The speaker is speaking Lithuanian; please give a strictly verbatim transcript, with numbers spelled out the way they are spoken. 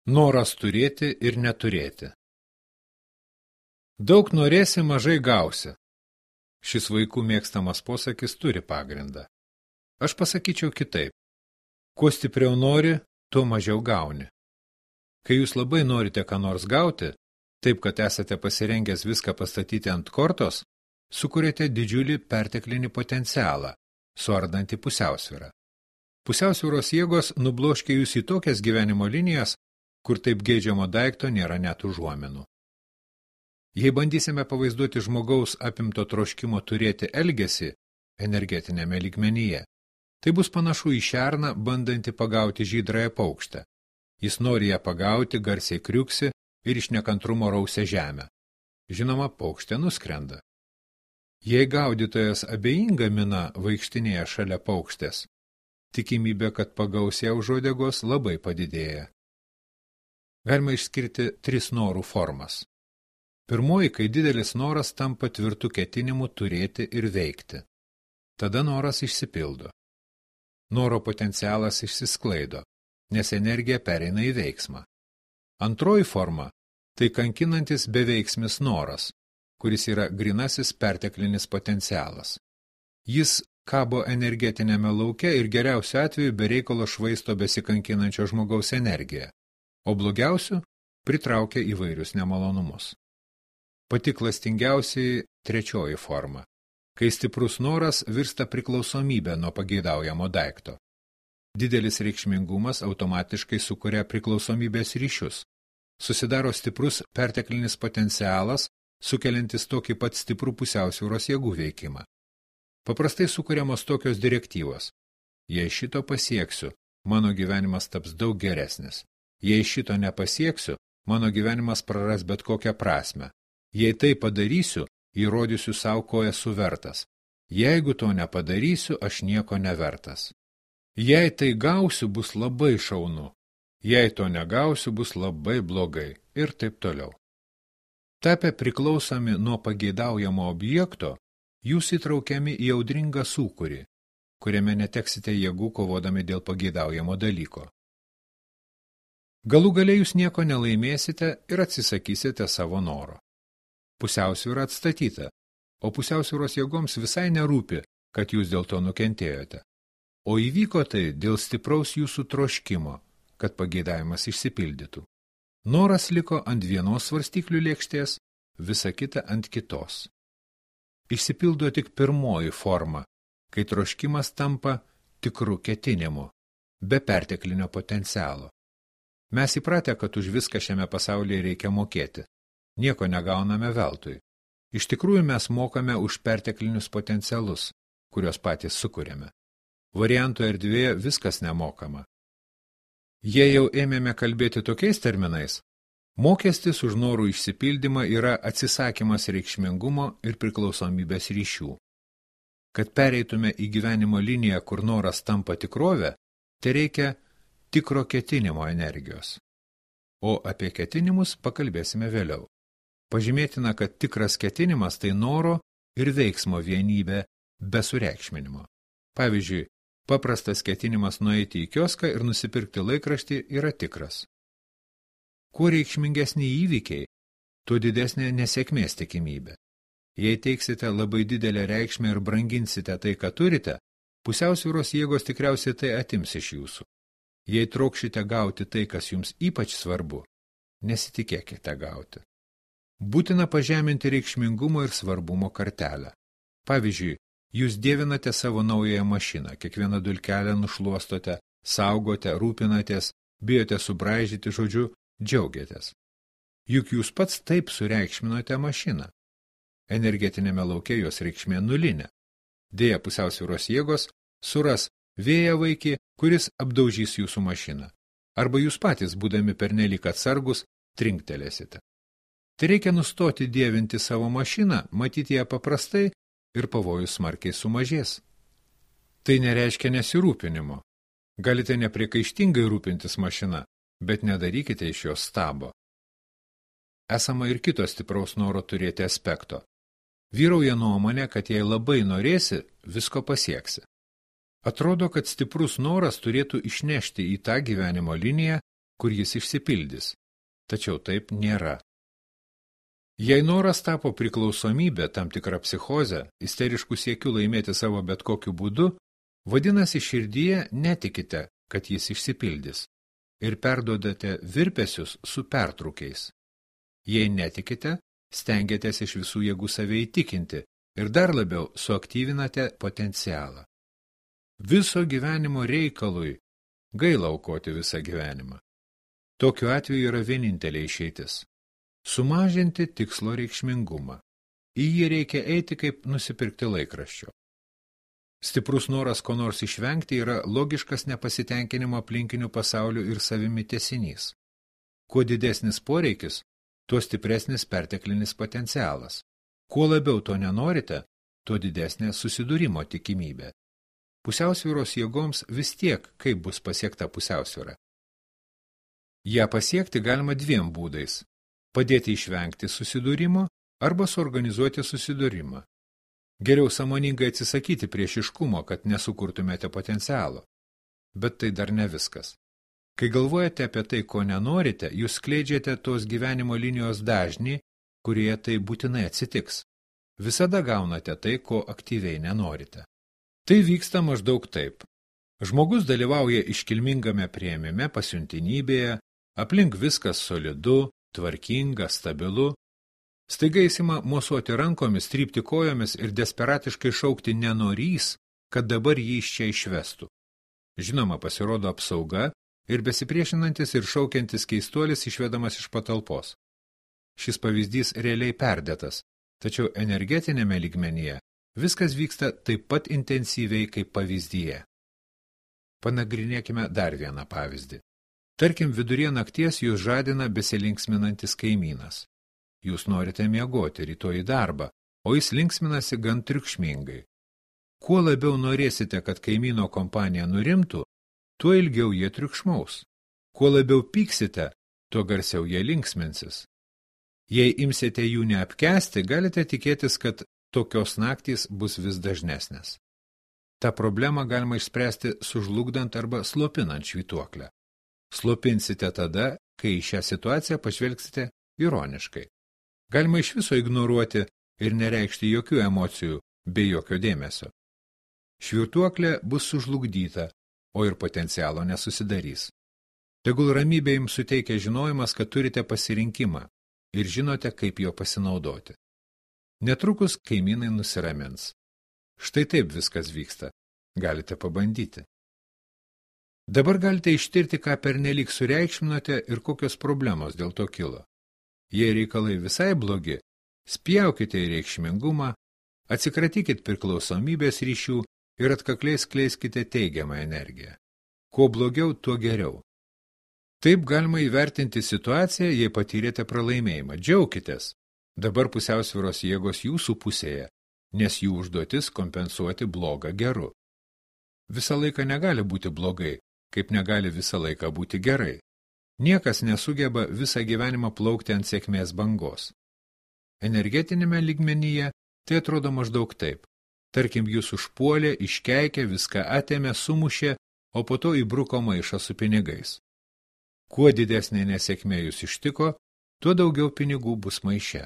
Noras turėti ir neturėti. Daug norėsi, mažai gausi. Šis vaikų mėgstamas posakis turi pagrindą. Aš pasakyčiau kitaip. Kuo stipriau nori, tuo mažiau gauni. Kai jūs labai norite ką nors gauti, taip kad esate pasirengęs viską pastatyti ant kortos, sukuriate didžiulį perteklinį potencialą, suardantį pusiausvyrą. Pusiausvyros jėgos nubloškia jūs į tokias gyvenimo linijas, kur taip geidžiamo daikto nėra net užuominų. Jei bandysime pavaizduoti žmogaus apimto troškimo turėti elgesį energetinėme lygmenyje, tai bus panašu į šerną, bandantį pagauti žydrąją paukštę. Jis nori ją pagauti, garsiai kriuksi ir iš nekantrumo rausia žemę. Žinoma, paukštė nuskrenda. Jei gaudytojas abejinga mina vaikštinėje šalia paukštės, tikimybė, kad pagaus ją už uodegos, labai padidėja. Galima išskirti tris norų formas. Pirmoji, kai didelis noras tampa tvirtų ketinimų turėti ir veikti. Tada noras išsipildo. Noro potencialas išsisklaido, nes energija pereina į veiksmą. Antroji forma – tai kankinantis beveiksmis noras, kuris yra grynasis perteklinis potencialas. Jis kabo energetinėme lauke ir geriausiu atveju be reikalo švaisto besikankinančio žmogaus energiją, o blogiausiu pritraukia įvairius nemalonumus. Pati klastingiausiai trečioji forma, kai stiprus noras virsta priklausomybė nuo pageidaujamo daikto. Didelis reikšmingumas automatiškai sukuria priklausomybės ryšius. Susidaro stiprus perteklinis potencialas, sukeliantis tokį pat stiprų pusiausvyros jėgų veikimą. Paprastai sukuriamos tokios direktyvos. Jei šito pasieksiu, mano gyvenimas taps daug geresnis. Jei šito nepasieksiu, mano gyvenimas praras bet kokią prasmę. Jei tai padarysiu, įrodysiu savo, ko esu vertas. Jeigu to nepadarysiu, aš nieko nevertas. Jei tai gausiu, bus labai šaunu. Jei to negausiu, bus labai blogai. Ir taip toliau. Tapę priklausomi nuo pageidaujamo objekto, jūs įtraukiami į audringą sūkurį, kuriame neteksite jėgų kovodami dėl pageidaujamo dalyko. Galų gale jūs nieko nelaimėsite ir atsisakysite savo noro. Pusiausvyra atstatyta, o pusiausvyros jėgoms visai nerūpi, kad jūs dėl to nukentėjote. O įvyko tai dėl stipraus jūsų troškimo, kad pageidavimas išsipildytų. Noras liko ant vienos svarstyklių lėkštės, visa kita ant kitos. Išsipildo tik pirmoji forma, kai troškimas tampa tikru ketinimu, be perteklinio potencialo. Mes įpratę, kad už viską šiame pasaulyje reikia mokėti. Nieko negauname veltui. Iš tikrųjų mes mokame už perteklinius potencialus, kuriuos patys sukuriame. Variantų erdvėje viskas nemokama. Jei jau ėmėme kalbėti tokiais terminais, mokestis už norų išsipildymą yra atsisakymas reikšmingumo ir priklausomybės ryšių. Kad pereitume į gyvenimo liniją, kur noras tampa tikrove, tai reikia tikro ketinimo energijos. O apie ketinimus pakalbėsime vėliau. Pažymėtina, kad tikras ketinimas tai noro ir veiksmo vienybė be sureikšminimo. Pavyzdžiui, paprastas ketinimas nueiti į kioską ir nusipirkti laikraštį yra tikras. Kuo reikšmingesni įvykiai, tuo didesnė nesėkmės tikimybė. Jei teiksite labai didelę reikšmę ir branginsite tai, ką turite, pusiausvyros jėgos tikriausiai tai atims iš jūsų. Jei trokšite gauti tai, kas jums ypač svarbu, nesitikėkite gauti. Būtina pažeminti reikšmingumo ir svarbumo kartelę. Pavyzdžiui, jūs dievinate savo naująją mašiną, kiekvieną dulkelę nušluostote, saugote, rūpinatės, bijote subraižyti, žodžiu, džiaugiatės. Juk jūs pats taip sureikšminote mašiną. Energetinėme lauke jos reikšmė nulinė. Deja, pusiausvyros jėgos suras vėją vaikį, kuris apdaužys jūsų mašiną. Arba jūs patys, būdami pernelyg atsargus, trinktelėsite. Tai reikia nustoti dievinti savo mašiną, matyti ją paprastai ir pavojus smarkiai sumažės. Tai nereiškia nesirūpinimo. Galite nepriekaištingai rūpintis mašina, bet nedarykite iš jos stabo. Esama ir kito stipraus noro turėti aspekto. Vyrauja nuomonė, kad jei labai norėsi, visko pasieksi. Atrodo, kad stiprus noras turėtų išnešti į tą gyvenimo liniją, kur jis išsipildys. Tačiau taip nėra. Jei noras tapo priklausomybė, tam tikra psichozė, isteriškų siekių laimėti savo bet kokiu būdu, vadinasi širdyje netikite, kad jis išsipildys, ir perduodate virpesius su pertrūkiais. Jei netikite, stengiatės iš visų jėgų save įtikinti ir dar labiau suaktyvinate potencialą. Viso gyvenimo reikalui gaila aukoti visą gyvenimą. Tokiu atveju yra vienintelė išeitis. Sumažinti tikslo reikšmingumą. Į jį reikia eiti kaip nusipirkti laikraščio. Stiprus noras ko nors išvengti yra logiškas nepasitenkinimo aplinkinių pasaulių ir savimi tęsinys. Kuo didesnis poreikis, tuo stipresnis perteklinis potencialas. Kuo labiau to nenorite, tuo didesnė susidūrimo tikimybė. Pusiausvyros jėgoms vis tiek, kaip bus pasiekta pusiausvyra. Ja pasiekti galima dviem būdais. Padėti išvengti susidūrimo arba suorganizuoti susidūrimą. Geriau sąmoningai atsisakyti priešiškumo, kad nesukurtumėte potencialo. Bet tai dar ne viskas. Kai galvojate apie tai, ko nenorite, jūs skleidžiate tos gyvenimo linijos dažnį, kurie tai būtinai atsitiks. Visada gaunate tai, ko aktyviai nenorite. Tai vyksta maždaug taip. Žmogus dalyvauja iškilmingame priėmime pasiuntinybėje, aplink viskas solidu, tvarkinga, stabilu. Staiga jis ima mosuoti rankomis, trypti kojomis ir desperatiškai šaukti nenorys, kad dabar jį iš čia išvestų. Žinoma, pasirodo apsauga ir besipriešinantis ir šaukiantis keistuolis išvedamas iš patalpos. Šis pavyzdys realiai perdėtas, tačiau energetinėme lygmenyje viskas vyksta taip pat intensyviai kaip pavyzdyje. Panagrinėkime dar vieną pavyzdį. Tarkim, vidurie nakties jūs žadina besilinksminantis kaimynas. Jūs norite miegoti rytoj į darbą, o jis linksminasi gan triukšmingai. Kuo labiau norėsite, kad kaimyno kompanija nurimtų, tuo ilgiau jie triukšmaus. Kuo labiau pyksite, tuo garsiau jie linksminsis. Jei imsite jų neapkęsti, galite tikėtis, kad tokios naktys bus vis dažnesnės. Ta problemą galima išspręsti sužlugdant arba slopinant švytuoklę. Slopinsite tada, kai į šią situaciją pažvelgsite ironiškai. Galima iš viso ignoruoti ir nereikšti jokių emocijų bei jokio dėmesio. Švytuoklė bus sužlugdyta, o ir potencialo nesusidarys. Tegul ramybė jums suteikia žinojimas, kad turite pasirinkimą ir žinote, kaip jo pasinaudoti. Netrukus kaimynai nusiramins. Štai taip viskas vyksta. Galite pabandyti. Dabar galite ištirti, ką pernelyg sureikšminote ir kokios problemos dėl to kilo. Jei reikalai visai blogi, spjaukite į reikšmingumą, atsikratykit priklausomybės ryšių ir atkakliai skleiskite teigiamą energiją. Kuo blogiau, tuo geriau. Taip galima įvertinti situaciją, jei patyrėte pralaimėjimą. Džiaukitės. Dabar pusiausvyros jėgos jūsų pusėje, nes jų užduotis kompensuoti blogą geru. Visą laiką negali būti blogai, kaip negali visą laiką būti gerai. Niekas nesugeba visą gyvenimą plaukti ant sėkmės bangos. Energetinėme lygmenyje tai atrodo maždaug taip. Tarkim, jūs užpuolė, iškeikė, viską atėmė, sumušė, o po to įbruko maišą su pinigais. Kuo didesnė nesėkmė jūs ištiko, tuo daugiau pinigų bus maiše.